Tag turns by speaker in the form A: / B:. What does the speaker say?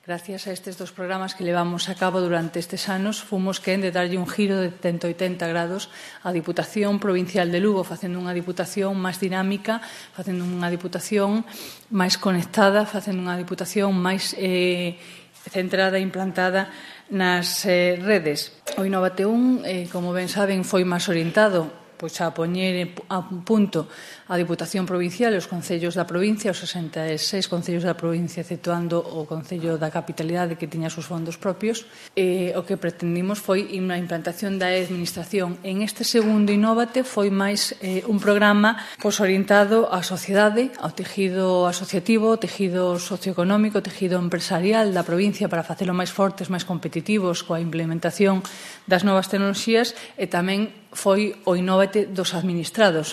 A: Gracias a estes dos programas que levamos a cabo durante estes anos, fomos quen de darlle un giro de 180 grados á Diputación Provincial de Lugo, facendo unha Diputación máis dinámica, facendo unha Diputación máis conectada, facendo unha Diputación máis centrada e implantada nas redes. O Innovate 1, como ben saben, foi máis orientado a poñer a punto a Diputación Provincial e os concellos da provincia, os 66 concellos da provincia, exceptuando o Concello da Capitalidade que tiña os seus fondos propios. O que pretendimos foi unha implantación da administración. En este segundo Innovate foi máis un programa orientado á sociedade, ao tejido asociativo, ao tejido socioeconómico, ao tejido empresarial da provincia para facelo máis fortes, máis competitivos coa implementación das novas tecnoloxías, e tamén foi o Innovate dos administrados.